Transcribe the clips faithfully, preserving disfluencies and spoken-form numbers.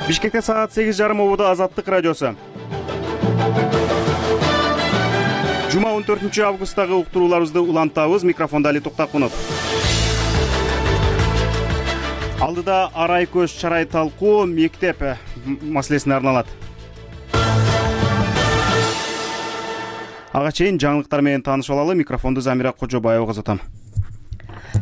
Бишкекте саат сегиз жарым ободо Азаттык радиосу. Жума он төртүнчү августтагы уктурууларыбызды улантабыз. Микрофонда Али Токтакунов. Алдыда арай көз чарай талкуу мектеп маселесине арналат. Ага чейин жаңылыктар менен таанышып алалы. Микрофонду Замира Кожобаева кызытам.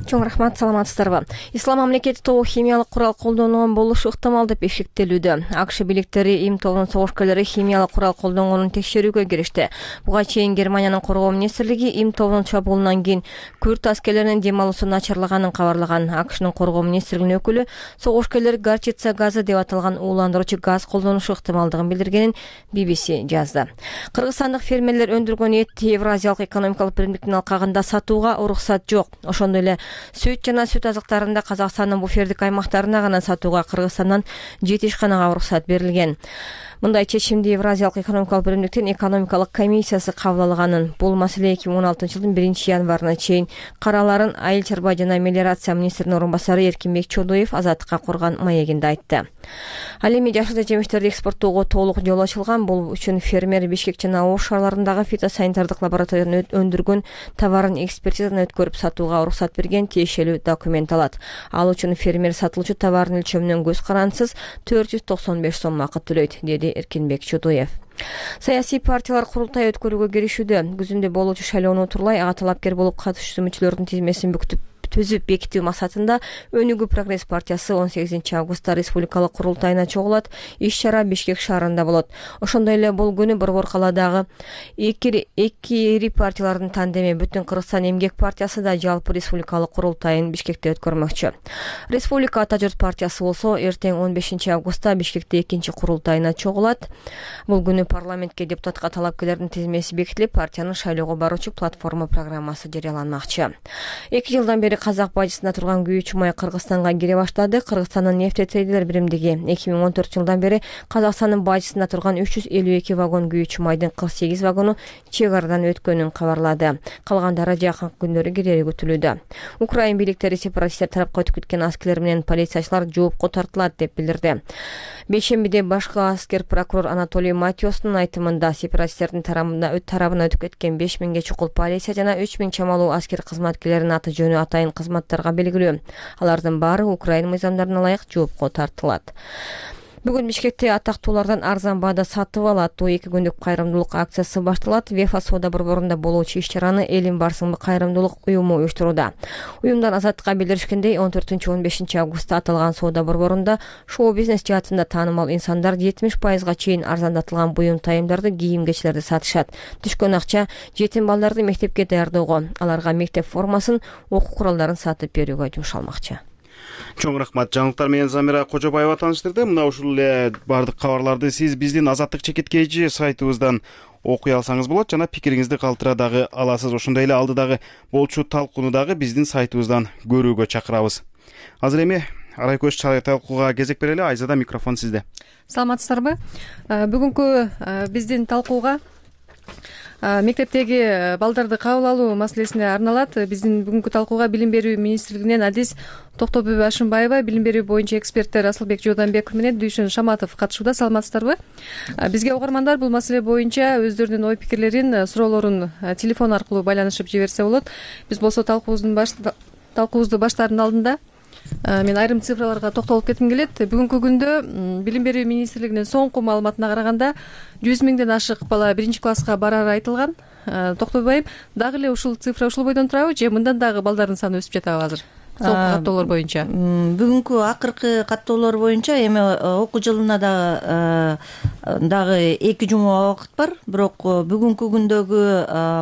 Чоң рахмат, саламатсыздарбы? Ислам мамлекети тобу химиялык курал колдонгон болушу ыктымал деп эшиктелүүдө. АКШ бийликтери Им тобунун согушкерлери химиялык курал колдонгонун текшерүүгө киришти. Буга чейин Германиянын коргоо министрлиги Им тобунун чабуулунан кийин күрд аскерлеринин дем алуусу начарлаганын кабарлаган. АКШнын коргоо министрлигинин өкүлү согушкерлер горчица газы деп аталган ууландыруучу газ колдонушу ыктымалдыгын билдиргенин би би си жазды. Кыргызстандык фермерлер өндүргөн эт Евразиялык экономикалык биримдиктин алкагында сатууга уруксат жок. Ошондой эле сүт жана сүт азыктарында Казакстандын буфердик аймактарына гана сатууга Кыргызстандан жети ишканага уруксат берилген. Мындай чечимди Евразиялык экономикалык биримдиктин экономикалык комиссиясы кабыл алганын. Бул маселе эки миң он алтынчы жылдын биринчи январына чейин караларын Айыл чарба жана мелиорация министринин орун басары Эркинбек Чодоев Азаттыкка коргон маегинде айтты. Ал эми жашыл жемиштерди экспорттоого толук жол ачылган. Бул үчүн фермер Бишкек жана Ош шаарларындагы фитосанитардык лабораториядан өндүргөн товарын экспертизадан өткөрүп сатууга уруксат берген тиешелүү документ алат. Ал үчүн фермер сатылуучу товардын өлчөмүнөн көз карансыз төрт жүз токсон беш сом акы төлөйт, деди Эркинбек Чодоев. Саясий партиялар курултай өткөрүүгө киришүүдө. Күзүндө болуучу шайлоону утурлай ага талапкер болуп катышуучу үмүтчүлөрдүн тизмесин бүктүп түзүп бекитүү максатында Өнүгүү прогресс партиясы он сегизинчи августта республикалык курултайына чогулат. Иш-чара Бишкек шаарында болот. Ошондой эле бул күнү Борбор калаадагы эки эки ири партиялардын тандеми Бүтүн Кыргызстан эмгек партиясы да жалпы республикалык курултайын Бишкекте өткөрмөкчү. Республика Ата журт партиясы болсо эртең он бешинчи августта Бишкекте экинчи курултайына чогулат. Бул күнү парламентке депутатка талапкерлердин тизмеси бекитилип, партиянын шайлоого баруучу платформа программасы жарыяланмакчы. эки жылдан бери казак бажысында турган күйүүчү май Кыргызстанга кире баштады. Кыргызстандын нефтетрейдерлер биримдиги эки миң он төртүнчү жылдан бери Казакстандын бажысында турган үч жүз элүү эки вагон күйүүчү майдын кырк сегиз вагону чек арадан өткөнүн кабарлады. Калгандары жакын күндөрү кирери күтүлүүдө. Украин бийликтери сепаратисттер тарапка өтүп кеткен аскерлер менен полициячылар жоопко тартылат деп билдирди. Бейшембиде башкы аскер прокурор Анатолий Матиостун айтымында сепаратисттердин тарабына өтүп кеткен беш миңге чукул полиция жана үч миң чамалуу аскер кызматкерлеринин аты жөнү атайын кызматтарга белгилүү. Алардын баары Украин мыйзамдарына ылайык жоопко тартылат. Бүгүн Бишкекте атактуулардан арзан баада сатып ал аттуу эки күндүк кайрымдуулук акциясы башталат. Вефа соода борборунда болуучу иш-чараны Элим барсыңбы кайрымдуулук уюму уюштурууда. Уюмдан Азаттыкка билдиришкендей, он төртүнчү он бешинчи августта аталган соода борборунда шоу-бизнес жаатында таанымал инсандар жетимиш пайызга чейин арзандатылган буюм тайымдарды, кийим-кечилерди сатышат. Түшкөн акча жетим балдарды мектепке даярдоого, аларга мектеп формасын, окуу куралдарын сатып берүүгө жумшалмакчы. Чоң рахмат. Жаңылыктар менен Замира Кожобаева тааныштырды. Мына ушул эле бардык кабарларды сиз биздин Азаттык чекиткейчи сайтыбыздан окуй алсаңыз болот жана пикириңизди калтыра дагы аласыз. Ошондой эле алдыдагы болчу талкууну дагы биздин сайтыбыздан көрүүгө чакырабыз. Азыр эми арай көз чарай талкууга кезек берели. Айзада, микрофон сизде. Саламатсыздарбы? Бүгүнкү биздин талкууга мектептеги балдарды кабыл алуу маселесине арналат. Биздин бүгүнкү талкууга Билим берүү министрлигинен адис Токтобүбү Ашымбаева, билим берүү боюнча эксперттер Асылбек Жууданбеков менен Дүйшөн Шаматов катышууда. Саламатсыздарбы? Бизге угармандар бул маселе боюнча өздөрүнүн ой пикирлерин, суроолорун телефон аркылуу байланышып жиберсе болот. Биз болсо талкуубуздун баш талкуубузду баштаардын алдында мен айрым цифраларга токтолуп кетким келет. Бүгүнкү күндө Билим берүү министрлигинин соңку маалыматына караганда жүз миңден ашык бала биринчи класска барары айтылган. Токтобайым, дагы эле ушул цифра ушул бойдон турабы же мындан дагы балдардын саны өсүп жатабы азыр? Соңку каттоолор боюнча. Бүгүнкү акыркы каттоолор боюнча эми окуу жылына дагы дагы эки жума убакыт бар. Бирок бүгүнкү күндөгү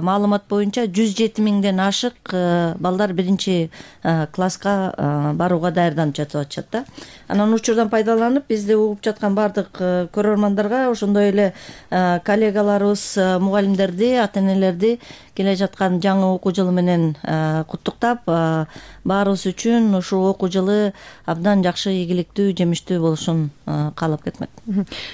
маалымат боюнча жүз жети миңден ашык балдар биринчи класска барууга даярданып жатып атышат да. Анан учурдан пайдаланып бизди угуп жаткан бардык көрөрмандарга, ошондой эле коллегаларыбыз, мугалимдерди, ата энелерди келе жаткан жаңы окуу жылы менен куттуктап, баарыбыз баласы үчүн ушул окуу жылы абдан жакшы, ийгиликтүү, жемиштүү болушун каалап кетмек.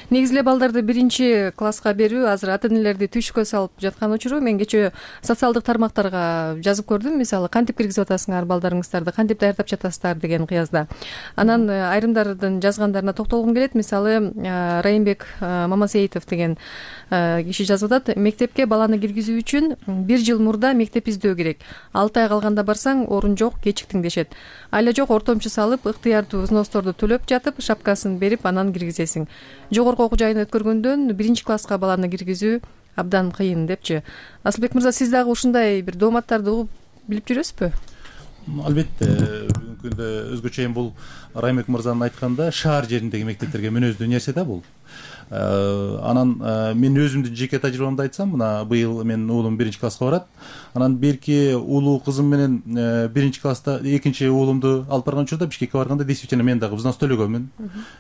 Негизи эле балдарды биринчи класска берүү азыр ата энелерди түйшүккө салып жаткан учуру. Мен кечээ социалдык тармактарга жазып көрдүм, мисалы кантип киргизип атасыңар балдарыңыздарды, кантип даярдап жатасыздар деген кыязда. Анан айрымдардын жазгандарына токтолгум келет. Мисалы Райымбек Мамасеитов деген киши жазып атат: мектепке баланы киргизүү үчүн бир жыл мурда мектеп издөө керек. алты ай калганда барсаң орун жок, кечиктиң дешет. Айла жок, ортомчу салып, ыктыярдуу взносторду төлөп жатып, шапкасын берип анан киргизесиң. Жогорку окуу жайын өткөргөндөн биринчи класска баланы киргизүү абдан кыйын депчи. Асылбек мырза, сиз дагы ушундай бир дооматтарды угуп билип жүрөсүзбү? Албетте, бүгүнкү күндө өзгөчө эми бул Райымбек мырзанын айтканда шаар жериндеги мектептерге мүнөздүү нерсе да бул. Анан мен өзүмдүн жеке тажрыйбамды айтсам, мына быйыл менин уулум биринчи класска барат. Анан берки уулуу кызым менен биринчи класста экинчи уулумду алып барган учурда Бишкекке барганда действительно мен дагы взнос төлөгөнмүн.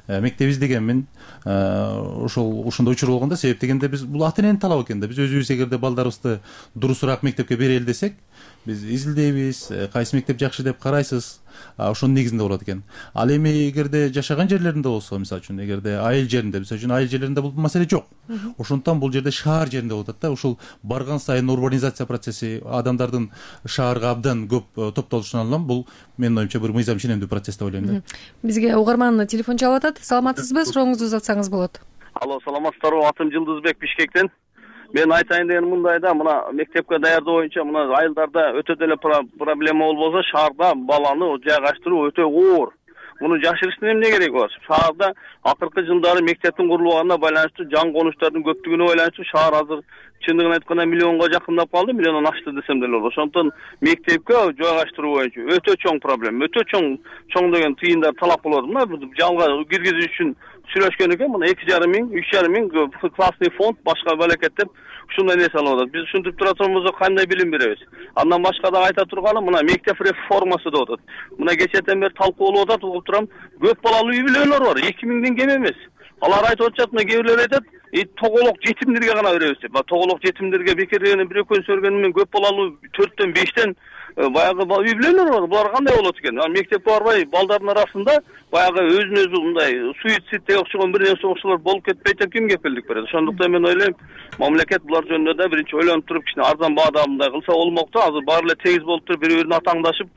Мектеп издегенмин. Ошол ушундай учур болгондо, себеп дегенде биз бул ата эненин талабы экен да. Биз өзүбүз эгерде балдарыбызды дурусураак мектепке берели десек, биз изилдейбиз, кайсы мектеп жакшы деп карайсыз. Ошонун негизинде болот экен. Ал эми эгерде жашаган жерлеринде болсо, мисалы үчүн, эгерде айыл жеринде, мисалы үчүн айыл жерлеринде бул маселе жок. Ошондуктан бул жерде шаар жеринде болот да. Ушул барган сайын урбанизация процесси, адамдардын шаарга абдан көп топтолушунан улам бул менин оюмча бир мыйзам ченемдүү процесс деп ойлойм да. Бизге угарман телефон чалып атат. Саламатсызбы? Сурооңузду узатсаңыз болот. Алло, саламатсыздарбы? Атым Жылдызбек, Бишкектен. Мен айтайын деген мындай да, мына мектепке даярдоо боюнча мына айылдарда өтө деле проблема болбосо, шаарда баланы жайгаштыруу өтө оор. Муну жашырыштын эмне кереги бар? Шаарда акыркы жылдары мектептин курулганына байланыштуу жан конуштардын көптүгүнө байланыштуу шаар азыр чындыгын айтканда миллионго жакындап калды, миллиондон ашты десем деле болот. Ошондуктан мектепке жайгаштыруу боюнча өтө чоң проблема, өтө чоң чоң деген тыйындар талап болот. Мына жалга киргизүү үчүн сүйлөшкөн экен, мына эки жарым миң, үч жарым миң классный фонд, башка балекет деп ушундай нерсе алып атат. Биз ушинтип тура турганбызда кандай билим беребиз? Андан башка да айта турганым, мына мектеп реформасы деп атат. Мына кечээден бери талкуу болуп атат, угуп турам. Көп балалуу үй бүлөлөр бар, эки миңден кем эмес. Алар айтып атышат, мына кээ бирлер айтат, тоголок жетимдерге гана беребиз деп. Тоголок жетимдерге бекерден бир экөөсү көргөнүм мен көп балалуу төрттөн бештен баягы үй бүлөлөр бар. Булар кандай болот экен? Мектепке барбай балдардын арасында баягы өзүн өзү мындай суицидге окшогон бир нерсе окшолор болуп кетпейт деп ким кепилдик берет? Ошондуктан мен ойлойм, мамлекет булар жөнүндө да биринчи ойлонуп туруп, кичине арзан баада мындай кылса болмок да. Азыр баары эле тегиз болуп туруп, бири-бирин атаңдашып,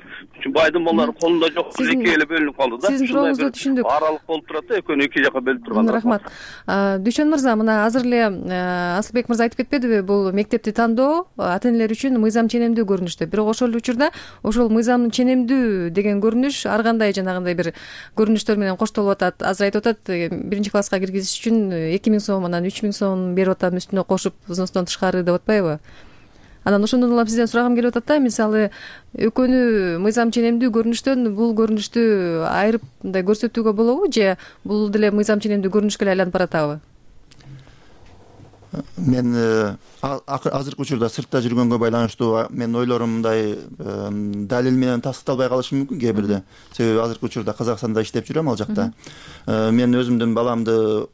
байдын балдары колунда жок, эки эле бөлүнүп калды да. Сиздин сурооңузду түшүндүк. Аралык болуп турат да, экөөнү эки жака бөлүп турган. Рахмат. Дүйшөн мырза, мына азыр эле Асылбек мырза айтып кетпедиби, бул мектепти тандоо ата энелер үчүн мыйзам ченемдүү көрүнүштө. Бирок ошол эле учурда ошол мыйзам ченемдүү деген көрүнүш ар кандай жанагындай бир көрүнүштөр менен коштолуп атат. Азыр айтып атат, биринчи класска киргизиш үчүн эки миң сом, анан үч миң сом берип атам, үстүнө кошуп взностон тышкары деп атпайбы? Анан ошондон улам сизден сурагым келип атат да, мисалы экөөнү мыйзам ченемдүү көрүнүштөн бул көрүнүштү айырып мындай көрсөтүүгө болобу, же бул деле мыйзам ченемдүү көрүнүшкө эле айланып баратабы? Мен азыркы учурда сыртта жүргөнгө байланыштуу менин ойлорум мындай далил менен тастыкталбай калышы мүмкүн кээ бирде. Себеби азыркы учурда Казакстанда иштеп жүрөм, ал жакта. Мен өзүмдүн баламды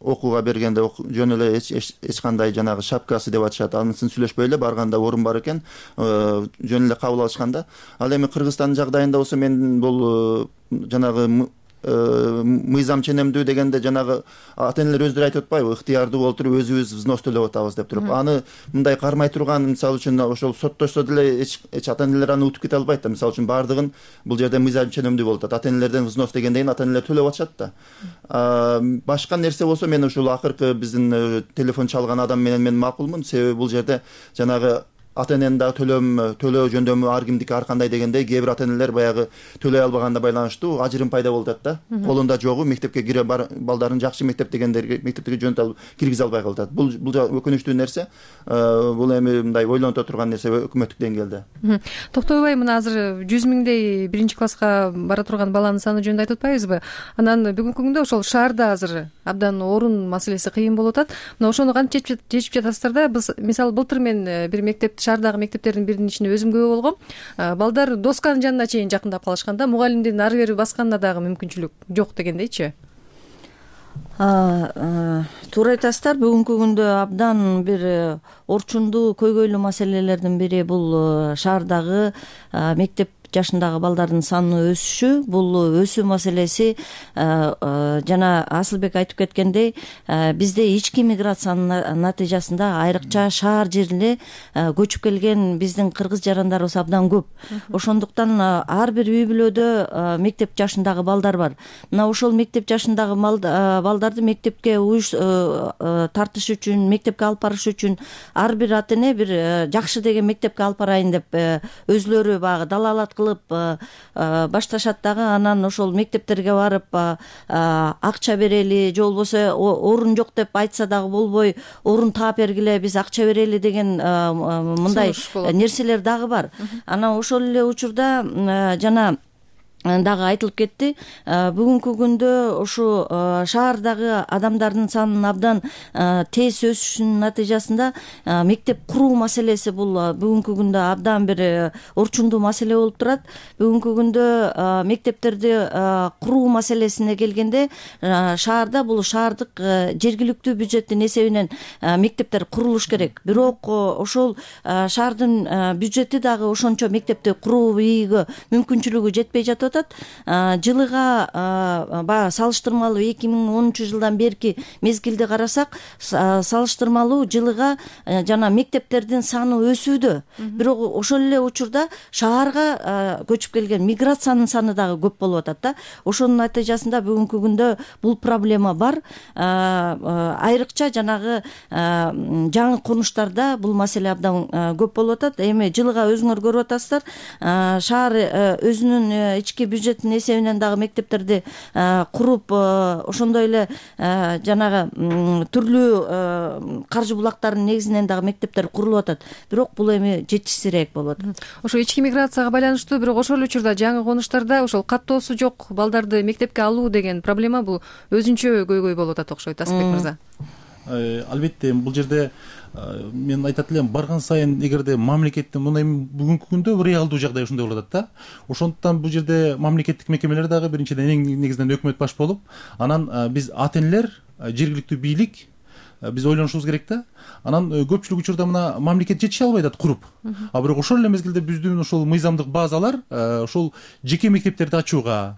окууга бергенде жөн эле эч кандай жанагы шапкасы деп атышат, анысын сүйлөшпөй эле барганда орун бар экен, жөн эле кабыл алышканда. Ал эми Кыргызстандын жагдайында болсо мен бул жанагы мыйзам ченемдүү дегенде жанагы ата энелер өздөрү айтып атпайбы, ыктыярдуу болуп туруп өзүбүз взнос төлөп атабыз деп туруп. Аны мындай кармай турган, мисалы үчүн ошол соттошсо деле эч ата энелер аны утуп кете албайт да. Мисалы үчүн баардыгын бул жерде мыйзам ченемдүү болуп атат. Ата энелерден взнос дегенден ата энелер төлөп атышат да. Башка нерсе болсо мен ушул акыркы биздин телефон чалган адам менен мен макулмун, себеби бул жерде жанагы ата эненин дагы төлөм төлөө жөндөмү ар кимдики ар кандай дегендей, кээ бир ата энелер баягы төлөй албаганда байланыштуу ажырым пайда болуп атат да. Колунда жогу мектепке кире балдарын жакшы мектеп дегендерге мектепке жөнөтө алып киргизе албай калып атат. Бул бул өкүнүчтүү нерсе. Бул эми мындай ойлонуто турган нерсе өкмөттүк деңгээлде. Токтобай, мына азыр жүз миңдей биринчи класска бара турган баланын саны жөнүндө айтып атпайбызбы? Анан бүгүнкү күндө ошол шаарда азыр абдан орун маселеси кыйын болуп атат. Мына ошону кантип чечип жатасыздар да? Мисалы былтыр мен бир мектеп шаардагы мектептердин биринин ичинде өзүм күбө болгом. Балдар досканын жанына чейин жакындап калышканда, мугалимдин ары бери басканына дагы мүмкүнчүлүк жок дегендейчи. Туура айтасыздар. Бүгүнкү күндө абдан бир орчундуу, көйгөйлүү маселелердин бири бул шаардагы мектеп жашындагы балдардын санынын өсүшү, бул өсүү маселеси жана Асылбек айтып кеткендей, бизде ички миграциянын натыйжасында айрыкча шаар жерине көчүп келген биздин кыргыз жарандарыбыз абдан көп. Ошондуктан ар бир үй бүлөдө мектеп жашындагы балдар бар. Мына ошол мектеп жашындагы балдарды мектепке тартыш үчүн, мектепке алып барыш үчүн ар бир ата эне бир жакшы деген мектепке алып барайын деп өзлөрү баягы далаалат кылып башташат дагы. Анан ошол мектептерге барып акча берели, же болбосо орун жок деп айтса дагы болбой, орун таап бергиле, биз акча берели деген мындай нерселер дагы бар. Анан ошол эле учурда жана дагы айтылып кетти. Бүгүнкү күндө ушу шаардагы адамдардын санынын абдан тез өсүшүнүн натыйжасында мектеп куруу маселеси бул бүгүнкү күндө абдан бир орчундуу маселе болуп турат. Бүгүнкү күндө мектептерди куруу маселесине келгенде шаарда бул шаардык жергиликтүү бюджеттин эсебинен мектептер курулуш керек. Бирок ошол шаардын бюджети дагы ошончо мектепти курууга мүмкүнчүлүгү жетпей жатат. Жылыга баягы салыштырмалуу эки миң онунчу жылдан берки мезгилди карасак, салыштырмалуу жылыга жана мектептердин саны өсүүдө. Бирок ошол эле учурда шаарга көчүп келген миграциянын саны дагы көп болуп атат да. Ошонун натыйжасында бүгүнкү күндө бул проблема бар. Айрыкча жанагы жаңы конуштарда бул маселе абдан көп болуп атат. Эми жылыга өзүңөр көрүп атасыздар, шаар өзүнүн ички бюджеттин эсебинен дагы мектептерди куруп, ошондой эле жанагы түрлүү каржы булактарынын негизинен дагы мектептер курулуп атат. Бирок бул эми жетишсиз болуп атат. Ошо ички миграцияга байланыштуу, бирок ошол учурда жаңы конуштарда ошол каттоосу жок балдарды мектепке алуу деген проблема бул өзүнчө көйгөй болуп атат окшойт, Асылбек мырза. Албетте, бул жерде мен айтат элем, барган сайын эгерде мамлекеттин мына бүгүнкү күндө реалдуу жагдай ушундай болуп атат да. Ошондуктан бул жерде мамлекеттик мекемелер дагы биринчиден эң негизинен өкмөт баш болуп, анан биз ата энелер, жергиликтүү бийлик биз ойлонушубуз керек да. Анан көпчүлүк учурда мына мамлекет жетише албай атат куруп. А бирок ошол эле мезгилде биздин ошол мыйзамдык базалар ошол жеке мектептерди ачууга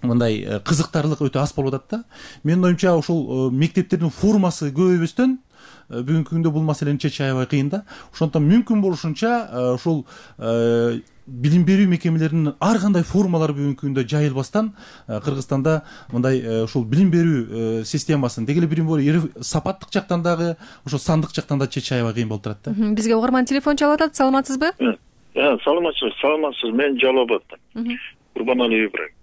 мындай кызыктарлык өтө аз болуп атат да. Менин оюмча ошол мектептердин формасы көбөйбөстөн бүгүнкү күндө бул маселени чечиш аябай кыйын да. Ошондуктан мүмкүн болушунча ошол билим берүү мекемелеринин ар кандай формалары бүгүнкү күндө жайылбастан Кыргызстанда мындай ошол билим берүү системасын деги эле билим берүү сапаттык жактан дагы ошол сандык жактан да чечиш аябай кыйын болуп турат да. Бизге угарман телефон чалып атат. Саламатсызбы? Саламатсыз, саламатсыз. Мен Жалал абадтан. Курбаналиев Ибрагим.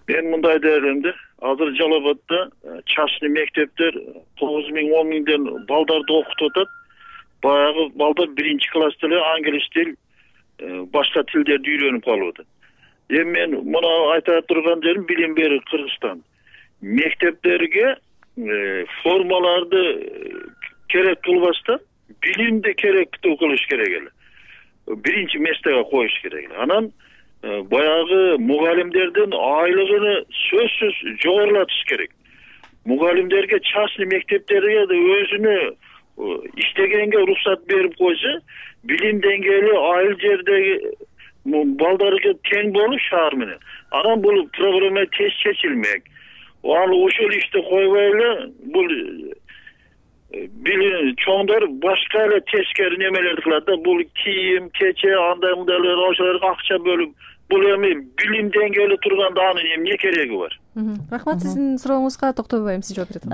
Мен мындай дээрлемде, азыр Жалал абадта частный мектептер тогуз миң он миңден балдарды окутуп атат. Баягы балдар биринчи класста эле англис тил, башка тилдерди үйрөнүп калып атат. Эми мен мына айта турган жерим билим берүү Кыргызстан. Мектептерге формаларды керек кылбастан билимди керектүү кылыш керек эле. Биринчи местеге коюш керек эле. Анан баягы мугалимдердин айлыгын сөзсүз жогорулатыш керек. Мугалимдерге частный мектептерге өзүнө иштегенге уруксат берип койсо, билим деңгээли айыл жердеги балдарга тең болуп шаар менен. Анан бул проблема тез чечилмек. Ал ошол ишти койбой эле бул билим чоңдор башка эле тескери немелерди кылат да. Бул кийим, кече, андай мындайлар ошолорго акча бөлүп, бул эми билим деңгээли турганда анын эмне кереги бар? Рахмат, сиздин сурооңузга токтобойм, сиз жооп берет.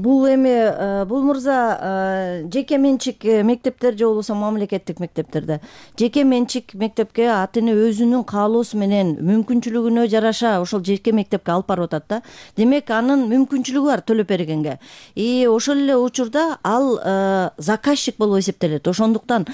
Бул эми бул мырза жеке менчик мектептер же болбосо мамлекеттик мектептерде. Жеке менчик мектепке ата эне өзүнүн каалоосу менен мүмкүнчүлүгүнө жараша ошол жеке мектепке алып барып атат да. Демек анын мүмкүнчүлүгү бар төлөп бергенге. И ошол эле учурда ал заказчик болуп эсептелет. Ошондуктан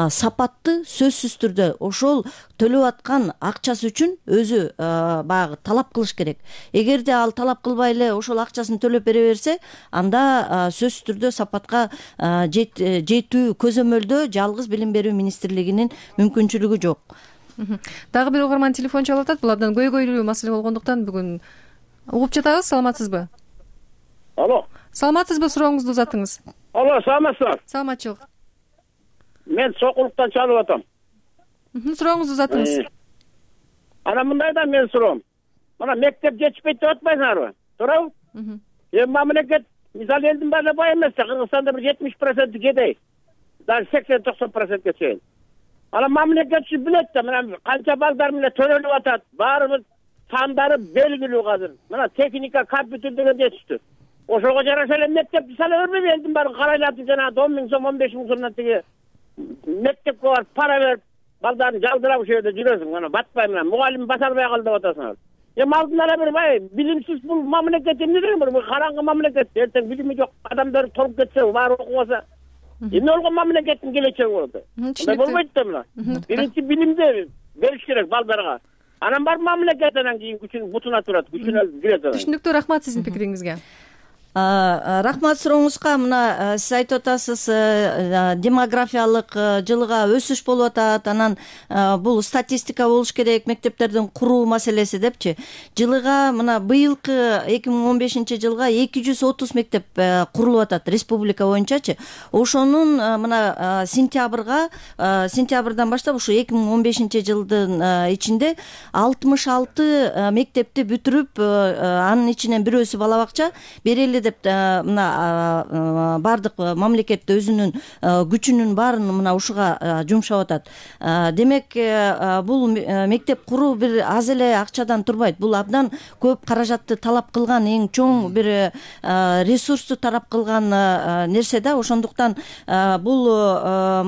сапатты сөзсүз түрдө ошол төлөп аткан акчасы үчүн өзү баягы талап кылыш керек. Эгерде ал талап кылбай эле ошол акчасын төлөп бере берсе, анда сөзсүз түрдө сапатка жетүү көзөмөлдө жалгыз билим берүү министрлигинин мүмкүнчүлүгү жок. Дагы бир угарман телефон чалып атат. Бул абдан көйгөйлүү маселе болгондуктан бүгүн угуп жатабыз. Саламатсызбы? Алло. Саламатсызбы? Сурооңузду узатыңыз. Алло, саламатсызбы? Саламатчылык. Мен Сокулуктан чалып атам. Сурооңузду узатыңыз. Анан мындай да менин суроом. Мына мектеп жетишпейт деп атпайсыңарбы? Туурабы? Эми мамлекет мисалы элдин баары бай эмес да, Кыргызстанда бир жетимиш проценти кедей. Даже сексен токсон процентке чейин. Анан мамлекетчи билет да, мына канча балдар менен төрөлүп атат. Баарыбыз сандары белгилүү азыр. Мына техника, компьютер деген жетиштүү. Ошого жараша эле мектепти сала бербейби? Элдин баары карайлатып жанагы он миң сом, он беш миң сомдон тиги мектепке барып пара берип, балдарын жалдырап ошол жерде жүрөсүң. Мына батпай менен мугалим баса албай калды деп атасыңар. Эми алдын ала бир бай билимсиз бул мамлекет эмне деген бир караңгы мамлекет. Эртең билими жок адамдар толуп кетсе, баары окубаса, эмне болгон мамлекеттин келечеги болот? Мындай болбойт да мына. Биринчи билимди бериш керек балдарга. Анан барып мамлекет анан кийин күчүн бутуна турат, күчүнө кирет. Түшүнүктүү, рахмат сиздин пикириңизге. Рахмат сурооңузга. Мына сиз айтып атасыз, демографиялык жылга өсүш болуп атат, анан бул статистика болуш керек, мектептердин куруу маселеси депчи. Жылыга мына быйылкы эки миң он бешинчи жылга эки жүз отуз мектеп курулуп атат республика боюнчачы. Ошонун мына сентябрга сентябрдан баштап ушу эки миң он бешинчи жылдын ичинде алтымыш алты мектепти бүтүрүп, анын ичинен бирөөсү бала бакча берели деп мына бардык мамлекет өзүнүн күчүнүн баарын мына ушуга жумшап атат. Демек бул мектеп куруу бир аз эле акчадан турбайт. Бул абдан көп каражатты талап кылган, эң чоң бир ресурсту талап кылган нерсе да. Ошондуктан бул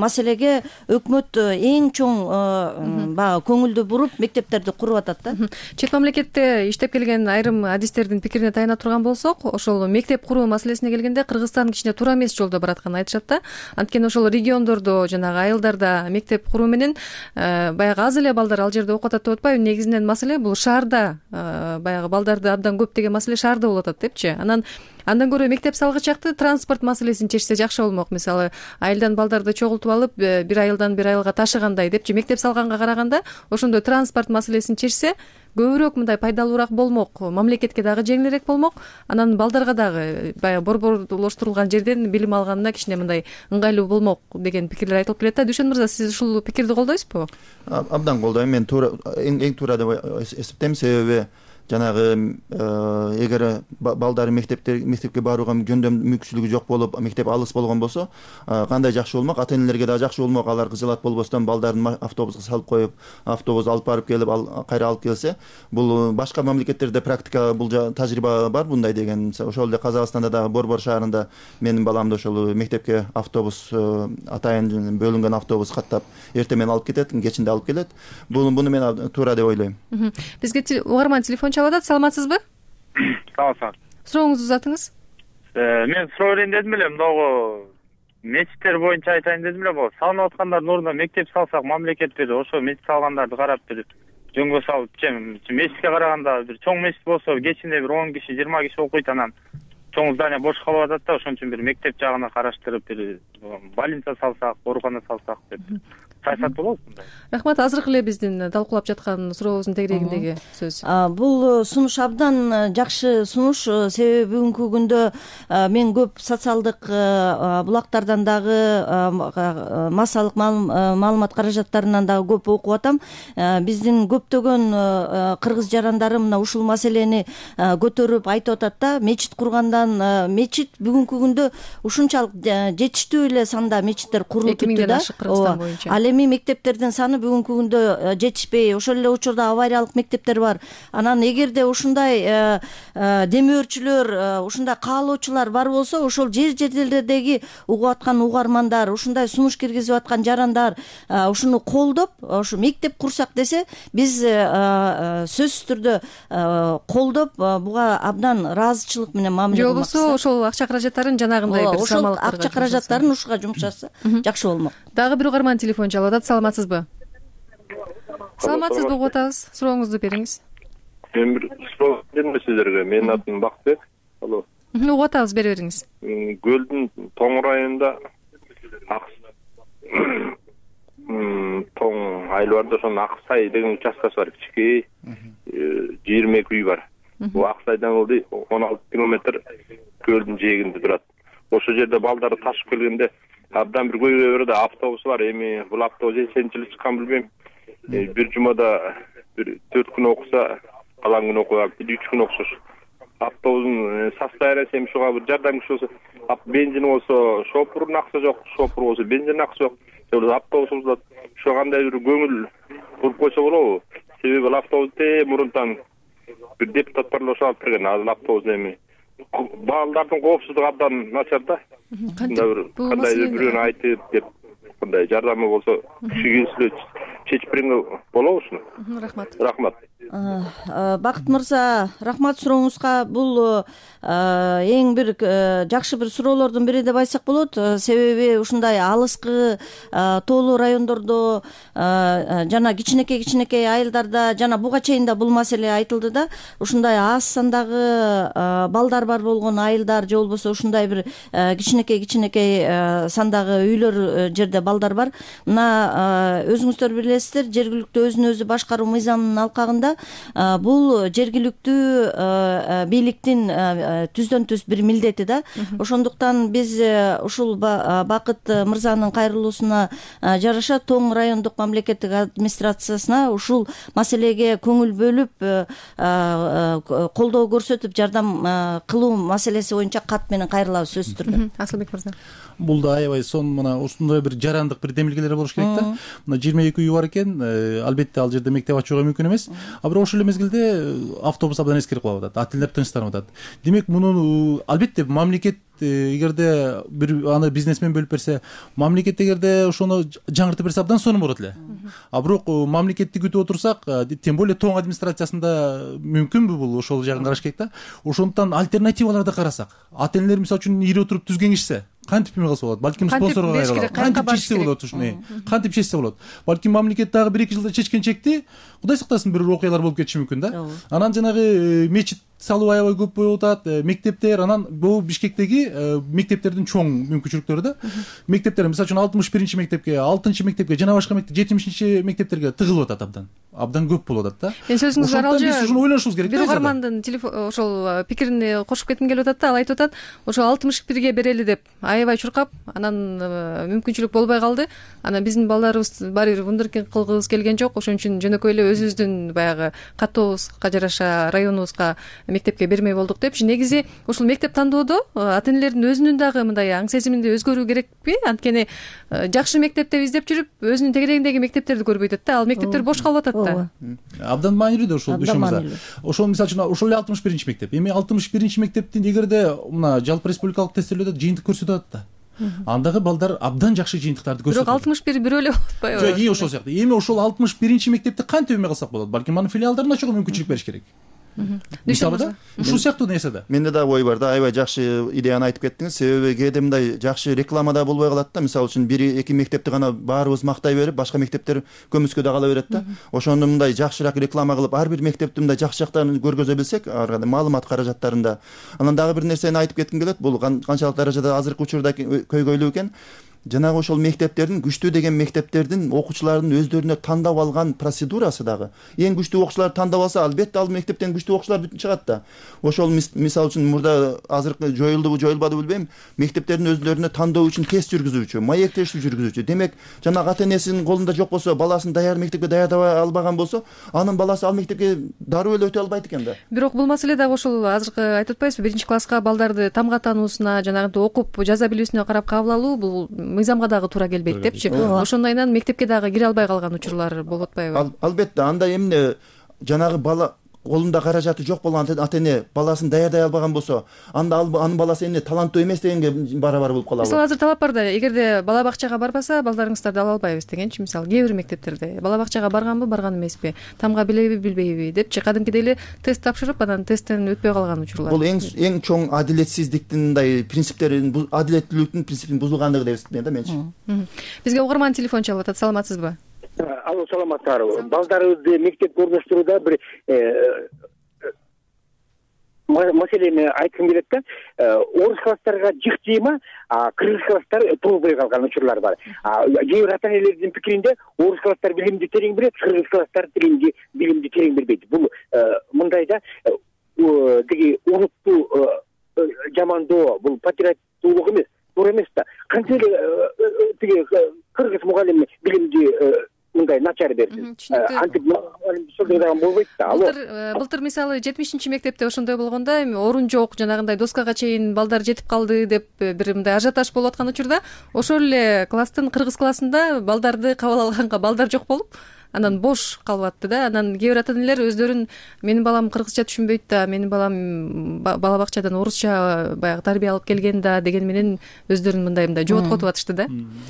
маселеге өкмөт эң чоң баягы көңүлдү буруп мектептерди куруп атат да. Чет мамлекетте иштеп келген айрым адистердин пикирине таяна турган болсок, ошол мектеп куруу маселесине келгенде Кыргызстан кичине туура эмес жолдо баратканын айтышат да. Анткени ошол региондордо, жанагы айылдарда мектеп куруу менен баягы аз эле балдар ал жерде окуп атат деп атпайбы? Негизинен маселе бул шаарда, баягы балдарды абдан көп деген маселе шаарда болуп атат депчи. Анан Андан көрө мектеп салгычакты транспорт маселесин чечсе жакшы болмок. Мисалы, айылдан балдарды чогултуп алып, бир айылдан бир айылга ташыгандай депчи, мектеп салганга караганда ошондой транспорт маселесин чечсе көбүрөөк мындай пайдалуураак болмок, мамлекетке дагы жеңилирээк болмок. Анан балдарга дагы баягы борборлоштурулган жерден билим алганына кичине мындай ыңгайлуу болмок деген пикирлер айтылып келет да. Дүйшөн мырза, сиз ушул пикирди колдойсузбу? Абдан колдойм. Мен туура, эң туура деп эсептейм. Себеби жанагы эгер балдары мектепте мектепке барууга жөндөм мүмкүнчүлүгү жок болуп, мектеп алыс болгон болсо, кандай жакшы болмок, ата энелерге да жакшы болмок. Алар кызылат болбостон балдарын автобуска салып коюп, автобус алып барып келип, кайра алып келсе, бул башка мамлекеттерде практика, бул тажрыйба бар мындай деген. Ошол эле Казакстанда дагы Борбор шаарында менин баламды ошол мектепке автобус, атайын бөлүнгөн автобус каттап, эртең менен алып кетет, кечинде алып келет. Буну мен туура деп ойлойм. Бизге угарман телефон чалат. Саламатсызбы? Саламатсыз. Сурооңузду узатыңыз. Мен суроо берейин дедим эле, мындагы мечиттер боюнча айтайын дедим эле. Могу салынып аткандардын ордуна мектеп салсак, мамлекет бир ошо мечит салгандарды карап бир жөнгө салып, мечитке караганда бир чоң мечит болсо, кечинде бир он киши, жыйырма киши окуйт, анан чоң здание бош калып атат да, ошон үчүн бир мектеп жагына караштырып, бир больница салсак, оорукана салсак деп саясат болобу мындай? Рахмат. Азыркы эле биздин талкуулап жаткан сурообуздун тегерегиндеги сөз. Бул сунуш абдан жакшы сунуш. Себеби бүгүнкү күндө мен көп социалдык булактардан дагы, массалык маалымат каражаттарынан дагы көп окуп атам. Биздин көптөгөн кыргыз жарандары мына ушул маселени көтөрүп айтып атат да. Мечит кургандан, мечит бүгүнкү күндө ушунчалык жетиштүү эле санда мечиттер курулуп бүттү да. Кыргызстан боюнча. Ал эми мектептердин саны бүгүнкү күндө жетишпей, ошол эле учурда авариялык мектептер бар. Анан эгерде ушундай демөөрчүлөр, ушундай каалоочулар бар болсо, ошол жер жерлердеги угуп аткан угармандар, ушундай сунуш киргизип аткан жарандар ушуну колдоп, ошо мектеп курсак десе, биз сөзсүз түрдө колдоп, буга абдан ыраазычылык менен мамиле кылмакчыбыз. Же болбосо ошол акча каражаттарын жанагындай бир самалыктарга, ошол акча каражаттарын ушуга жумшаса жакшы болмок. Дагы бир угарман телефон чалып атат. Саламатсызбы? Саламатсызбы, угуп атабыз. Сурооңузду бериңиз. Мен бир суроо берем сиздерге. Менин атым Бакытбек. Алло. Угуп атабыз, бере бериңиз. Көлдүн тоң районунда тоң айыл бар да, ошонун Аксай деген участкасы бар, кичикей, жыйырма эки үй бар. Бул Аксайдан ылдый он алты километр көлдүн жээгинде турат. Ошол жерде балдары ташып келгенде абдан бир көйгөй бар да, автобус бар. Эми бул автобус эченчи жылы чыккан билбейм. бир жумада бир төрт күн окуса, калган күн окуя, бир үч күн окуса автобустун состояниясы эми ушуга бир жардам күч болсо, бензин болсо шопурдун акысы жок, шопур болсо бензин акысы жок. Автобусубузда ошо кандай бир көңүл буруп койсо болобу? Себеби автобус те мурунтан бир депутат барлоошо алып берген. Азыр автобус эми балдардын коопсуздугу абдан начар да. Кандай бирөөнү айтып деп кандай жардамы болсо киши келсе чечип берген болобу ушуну. Рахмат. Рахмат. Бакыт мырза, рахмат сурооңузга. Бул эң бир жакшы бир суроолордун бири деп айтсак болот. Себеби ушундай алыскы тоолуу райондордо жана кичинекей кичинекей айылдарда жана буга чейин да бул маселе айтылды да. Ушундай аз сандагы балдар бар болгон айылдар же болбосо ушундай бир кичинекей кичинекей сандагы үйлөр жерде балдар бар. Мына өзүңүздөр билесиздер, жергиликтүү өзүн өзү башкаруу мыйзамынын алкагында бул жергиликтүү бийликтин түздөн түз бир милдети да. Ошондуктан биз ушул Бакыт мырзанын кайрылуусуна жараша Тоң райондук мамлекеттик администрациясына ушул маселеге көңүл бөлүп, колдоо көрсөтүп, жардам кылуу маселеси боюнча кат менен кайрылабыз сөзсүз түрдө. Асылбек мырза. Бул да аябай сонун мына ушундай бир жарандык бир демилгелер болуш керек да. Мына жыйырма эки үй бар экен, албетте ал жерде мектеп ачууга мүмкүн эмес. А бирок ошол эле мезгилде автобус абдан эскирип калып атат. Ата-энелер тынчтанып атат. Демек муну албетте мамлекет эгерде бир аны бизнесмен бөлүп берсе, мамлекет эгерде ошону жаңыртып берсе абдан сонун болот эле. А бирок мамлекетти күтүп отурсак, тем более Тоң администрациясында мүмкүнбү бул? Ошол жагын караш керек да. Ошондуктан альтернативаларды карасак, ата-энелер мисалы үчүн ири отуруп түзгөн кишсе кантип эме кылса болот? Балким спонсорго кайрылат. Кантип чечсе болот ушуну? Кантип чечсе болот? Балким мамлекет дагы бир эки жылда чечкен чекти, Кудай сактасын, бир окуялар болуп кетиши мүмкүн да. Анан жанагы мечит салуу аябай көп болуп атат, мектептер, анан бул Бишкектеги мектептердин чоң мүмкүнчүлүктөрү да. Мектептер мисалы үчүн алтымыш биринчи мектепке, алтынчы мектепке жана башка мектеп жетимишинчи мектептерге тыгылып атат абдан. Абдан көп болуп атат да. Мен сөзүңүзгө аралжы. Биз ушуну ойлонушубуз керек да. Бир угармандын телефон ошол пикирине кошуп кетким келип атат да. Ал айтып атат, ошо алтымыш бирге берели деп аябай чуркап, анан мүмкүнчүлүк болбой калды. Анан биздин балдарыбыз баары бир вундеркинд кылгыбыз келген жок. Ошон үчүн жөнөкөй эле өзүбүздүн баягы каттообузга жараша районубузга мектепке бермей болдук депчи. Негизи ушул мектеп тандоодо ата-энелердин өзүнүн дагы мындай аң сезиминде өзгөрүү керекпи? Анткени жакшы мектеп деп издеп жүрүп, өзүнүн тегерегиндеги мектептерди көрбөй атат да. Ал мектептер бош калып атат да. Абдан маанилүү да ушул düşүмүз. Ошол мисалы үчүн ошол эле алтымыш биринчи мектеп. Эми алтымыш биринчи мектептин эгерде мына жалпы республикалык тесттердө жыйынтык көрсөтүп атат да. Андагы балдар абдан жакшы жыйынтыктарды көрсөтөт. Бирок алтымыш бир бирөө эле болуп атпайбы? Жок, эми ошол сыяктуу. Эми ошол алтымыш биринчи мектепти кантип эме кылсак болот? Балким анын филиалдарын ачууга мүмкүнчүлүк бериш керек. Мисалы да, ушул сыяктуу нерсе да. Менде да ой бар да, аябай жакшы идеяны айтып кеттиңиз. Себеби кээде мындай жакшы реклама да болбой калат да. Мисалы үчүн бир эки мектепти гана баарыбыз мактай берип, башка мектептер көмүскө да кала берет да. Ошондо мындай жакшыраак реклама кылып, ар бир мектептин мындай жакшы жактарын көргөзө билсек, ар кандай маалымат каражаттарында. Анан дагы бир нерсени айтып кетким келет. Бул канчалык даражада азыркы учурда көйгөйлүү экен. Жанагы ошол мектептердин, күчтүү деген мектептердин окуучулардын өздөрүнө тандап алган процедурасы дагы. Эң күчтүү окуучуларды тандап алса, албетте ал мектептен күчтүү окуучулар бүтүн чыгат да. Ошол мисалы үчүн мурда азыркы жоюлдубу, жоюлбадыбы билбейм, мектептердин өздөрүнө тандоо үчүн тест жүргүзүүчү, маектештүү жүргүзүүчү. Демек, жанагы ата-энесинин колунда жок болсо, баласын даяр мектепке даярдабай албаган болсо, анын баласы ал мектепке дароо эле өтө албайт экен да. Бирок бул маселе дагы ошол азыркы айтып атпайбызбы, биринчи класска балдарды тамга таануусуна, жанагынтип окуп жаза билүүсүнө карап кабыл алуу бул мыйзамга дагы туура келбейт депчи. Ошондойнан мектепке дагы кире албай калган учурлар болуп атпайбы? Албетте, анда эмне жанагы бала колунда каражаты жок болгон ата-эне баласын даярдай албаган болсо, анда анын баласы эмне таланттуу эмес дегенге барабар болуп калабы? Мисалы азыр талап бар да, эгерде бала бакчага барбаса, балдарыңыздарды ала албайбыз дегенчи. Мисалы кээ бир мектептерде бала бакчага барганбы, барган эмеспи, тамга билеби, билбейби депчи, кадимкидей эле тест тапшырып, анан тесттен өтпөй калган учурлар. Бул эң эң чоң адилетсиздиктин мындай принциптерин, адилеттүүлүктүн принципин бузулгандыгы деп эсептейм да менчи. Бизге угарман телефон чалып атат. Саламатсызбы? Алло, саламатсыздарбы? Балдарыбызды мектепке орноштурууда бир маселени айткым келет да. Орус класстарга жык тийма, кыргыз класстар толбой калган учурлар бар. Кээ бир ата-энелердин пикиринде орус класстар билимди терең билет, кыргыз класстар билимди билимди терең билбейт. Бул мындайда тиги урутту жамандоо, бул патриоттуулук эмес, туура эмес да. Канча эле тиги кыргыз мугалими билимди мындай начар берсин. Антип сурдаган болбойт да. Былтыр былтыр мисалы жетимишинчи мектепте ошондой болгондо эми орун жок, жанагындай доскага чейин балдар жетип калды деп бир мындай ажиотаж болуп аткан учурда ошол эле класстын кыргыз классында балдарды кабыл алганга балдар жок болуп анан бош калып атты да. Анан кээ бир ата энелер өздөрүн менин балам кыргызча түшүнбөйт да, менин балам бала бакчадан орусча баягы тарбия алып келген да деген менен өздөрүн мындай мындай жооткотуп атышты да.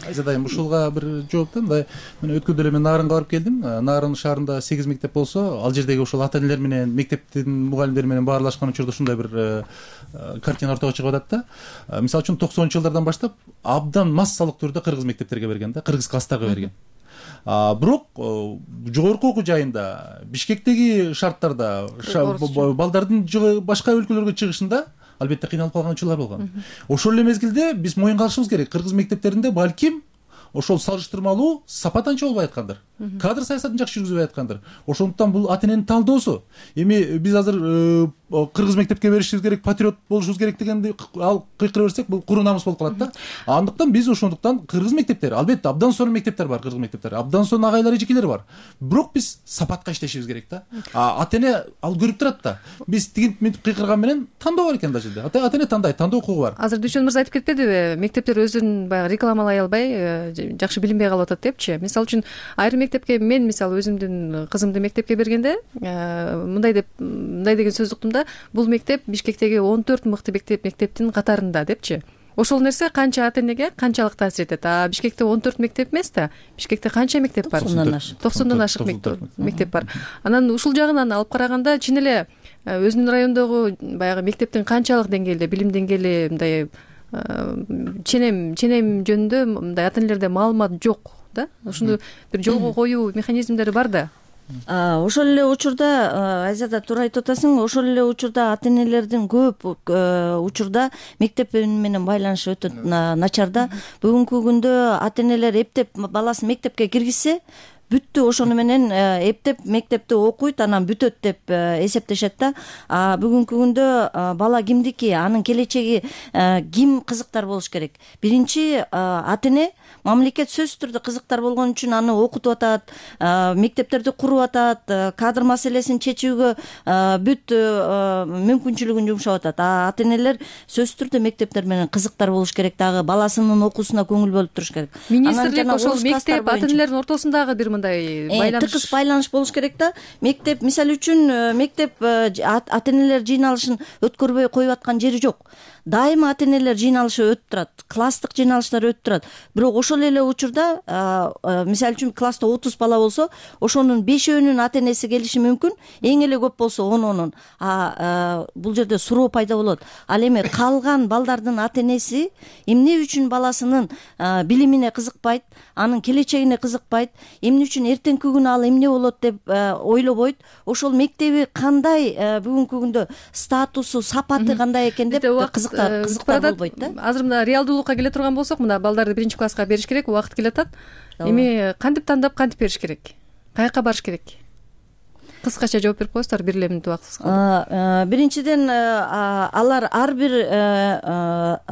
Айзат айым ушулга бир жооп да. Мындай мен өткөндө эле мен Нарынга барып келдим. Нарын шаарында сегиз мектеп болсо, ал жердеги ошол ата энелер менен мектептин мугалимдери менен баарлашкан учурда ушундай бир картина ортого чыгып атат да. Мисалы үчүн токсонунчу жылдардан баштап абдан массалык түрдө кыргыз мектептерге берген да, кыргыз класстарга берген. Бирок жогорку окуу жайында Бишкектеги шарттарда балдардын башка өлкөлөргө чыгышында албетте кыйналып калган учурлар болгон. Ошол эле мезгилде биз моюнга алышыбыз керек, кыргыз мектептеринде балким ошол салыштырмалуу сапат анча болбой аткандыр, кадр саясатын жакшы жүргүзбөй аткандыр. Ошондуктан бул ата эненин талдоосу. Эми биз азыр кыргыз мектепке беришибиз керек, патриот болушубуз керек дегенди ал кыйкыра берсек, бул куру намыс болуп калат да. Андыктан биз ошондуктан кыргыз мектептери, албетте абдан сонун мектептер бар, кыргыз мектептери, абдан сонун агайлар эжекелери бар. Бирок биз сапатка иштешибиз керек да. Ата эне ал көрүп турат да. Биз тигинтип мынтип кыйкырган менен тандоо бар экен да жерде. Ата эне тандайт, тандоо укугу бар. Азыр Дүйшөн мырза айтып кетпедиби, мектептер өзүн баягы рекламалай албай, жакшы билинбей калып атат депчи. Мисалы үчүн айрым мектепке мен мисалы өзүмдүн кызымды мектепке бергенде мындай деп мындай деген сөз уктум да, бул мектеп Бишкектеги он төрт мыкты мектеп мектептин катарында депчи. Ошол нерсе канча ата энеге канчалык таасир этет. А Бишкекте он төрт мектеп эмес да. Бишкекте канча мектеп бар? токсондон ашык мектеп бар. Анан ушул жагынан алып караганда чын эле өзүнүн райондогу баягы мектептин канчалык деңгээлде, билим деңгээли мындай ченем ченем жөнүндө мындай ата энелерде маалымат жок да. Ошону бир жолго коюу механизмдери бар да. Ошол эле учурда Айзада туура айтып атасың, ошол эле учурда ата энелердин көп учурда мектеп менен байланышы өтө начар да. Бүгүнкү күндө ата энелер эптеп баласын мектепке киргизсе, бүттү ошону менен эптеп мектепти окуйт, анан бүтөт деп эсептешет да. Бүгүнкү күндө бала кимдики, анын келечеги ким кызыктар болуш керек. Биринчи ата эне, мамлекет сөзсүз түрдө кызыктар болгон үчүн аны окутуп атат, мектептерди куруп атат, кадр маселесин чечүүгө бүт мүмкүнчүлүгүн жумшап атат. Ата энелер сөзсүз түрдө мектептер менен кызыктар болуш керек, дагы баласынын окуусуна көңүл бөлүп туруш керек. Министрлик ошол мектеп ата энелердин ортосундагы бир мындай байланыш, тыкыз байланыш болуш керек да. Мектеп, мисалы үчүн мектеп ата энелер жыйналышын өткөрбөй коюп аткан жери жок. Дайыма ата энелер жыйналышы өтүп турат, класстык жыйналыштар өтүп турат. Бирок ошол эле учурда мисалы үчүн класста отуз бала болсо, ошонун бешөөнүн ата энеси келиши мүмкүн, эң эле көп болсо онунун. Бул жерде суроо пайда болот. Ал эми калган балдардын ата энеси эмне үчүн баласынын билимине кызыкпайт, анын келечегине кызыкпайт, эмне үчүн эртеңки күнү ал эмне болот деп ойлобойт, ошол мектеби кандай бүгүнкү күндө статусу, сапаты кандай экен деп кызыктар кызыктар болбойт да. Азыр мына реалдуулукка келе турган болсок, мына балдарды биринчи класска бериш керек, убакыт келатат. Эми кантип тандап, кантип бериш керек? Каяка барыш керек? Кыскача жооп берип коесуздар, бир эле мүнөт убактыбыз калды. Биринчиден алар ар бир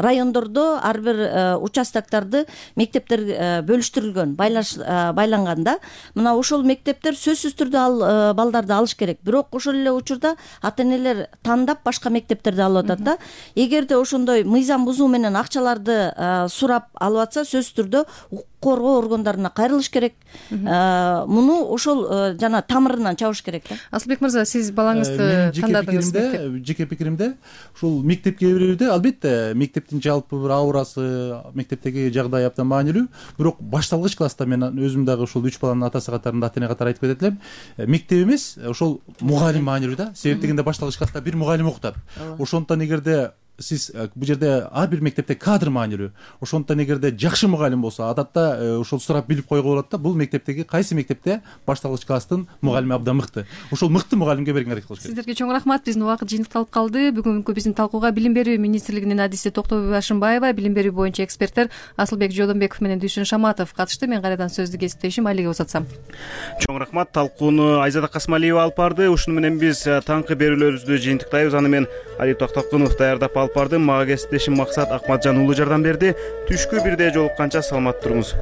райондордо, ар бир участоктарды мектептер бөлүштүрүлгөн, байланган да. Мына ошол мектептер сөзсүз түрдө ал балдарды алыш керек. Бирок ошол эле учурда ата энелер тандап башка мектептерди алып атат да. Эгерде ошондой мыйзам бузуу менен акчаларды сурап алып атса, сөзсүз түрдө укук коргоо органдарына кайрылыш керек. Муну ошол жана тамырынан чабыш керек. Асылбек мырза, сиз балаңызды тандадыңыз мектеп. Жеке пикиримде, ушул мектепке берүүдө албетте мектептин жалпы бир аурасы, мектептеги жагдай абдан маанилүү. Бирок башталгыч класста мен өзүм дагы ушул үч баланын атасы катарында ата эне катары айтып кетет элем. Мектеп эмес, ошол мугалим маанилүү да. Себеп дегенде башталгыч класста бир мугалим окутат. Ошондуктан эгерде сиз бул жерде ар бир мектепте кадр маанилүү. Ошондуктан эгерде жакшы мугалим болсо, адатта ошол сурап билип койгула болот да, бул мектептеги кайсы мектепте башталгыч класстын мугалими абдан мыкты. Ошол мыкты мугалимге берген аракет кылыш керек. Сиздерге чоң рахмат. Биздин убакыт жыйынтыкталып калды. Бүгүнкү биздин талкууга Билим берүү министрлигинин адиси Токтобой Башымбаева, билим берүү боюнча эксперттер Асылбек Жодонбеков менен Дүйшөн Шаматов катышты. Мен кайрадан сөздү кесиптешим Айлиге узатсам. Чоң рахмат. Талкууну Айзада Касмалиева алып барды. Ушуну менен биз таңкы берүүлөрүбүздү жыйынтыктайбыз. Аны мен Али Токтокунов даярдап алып бардым. Мага кесиптешим Максат Акматжан уулу жардам берди. Түшкү бирде жолукканча саламат туруңуз.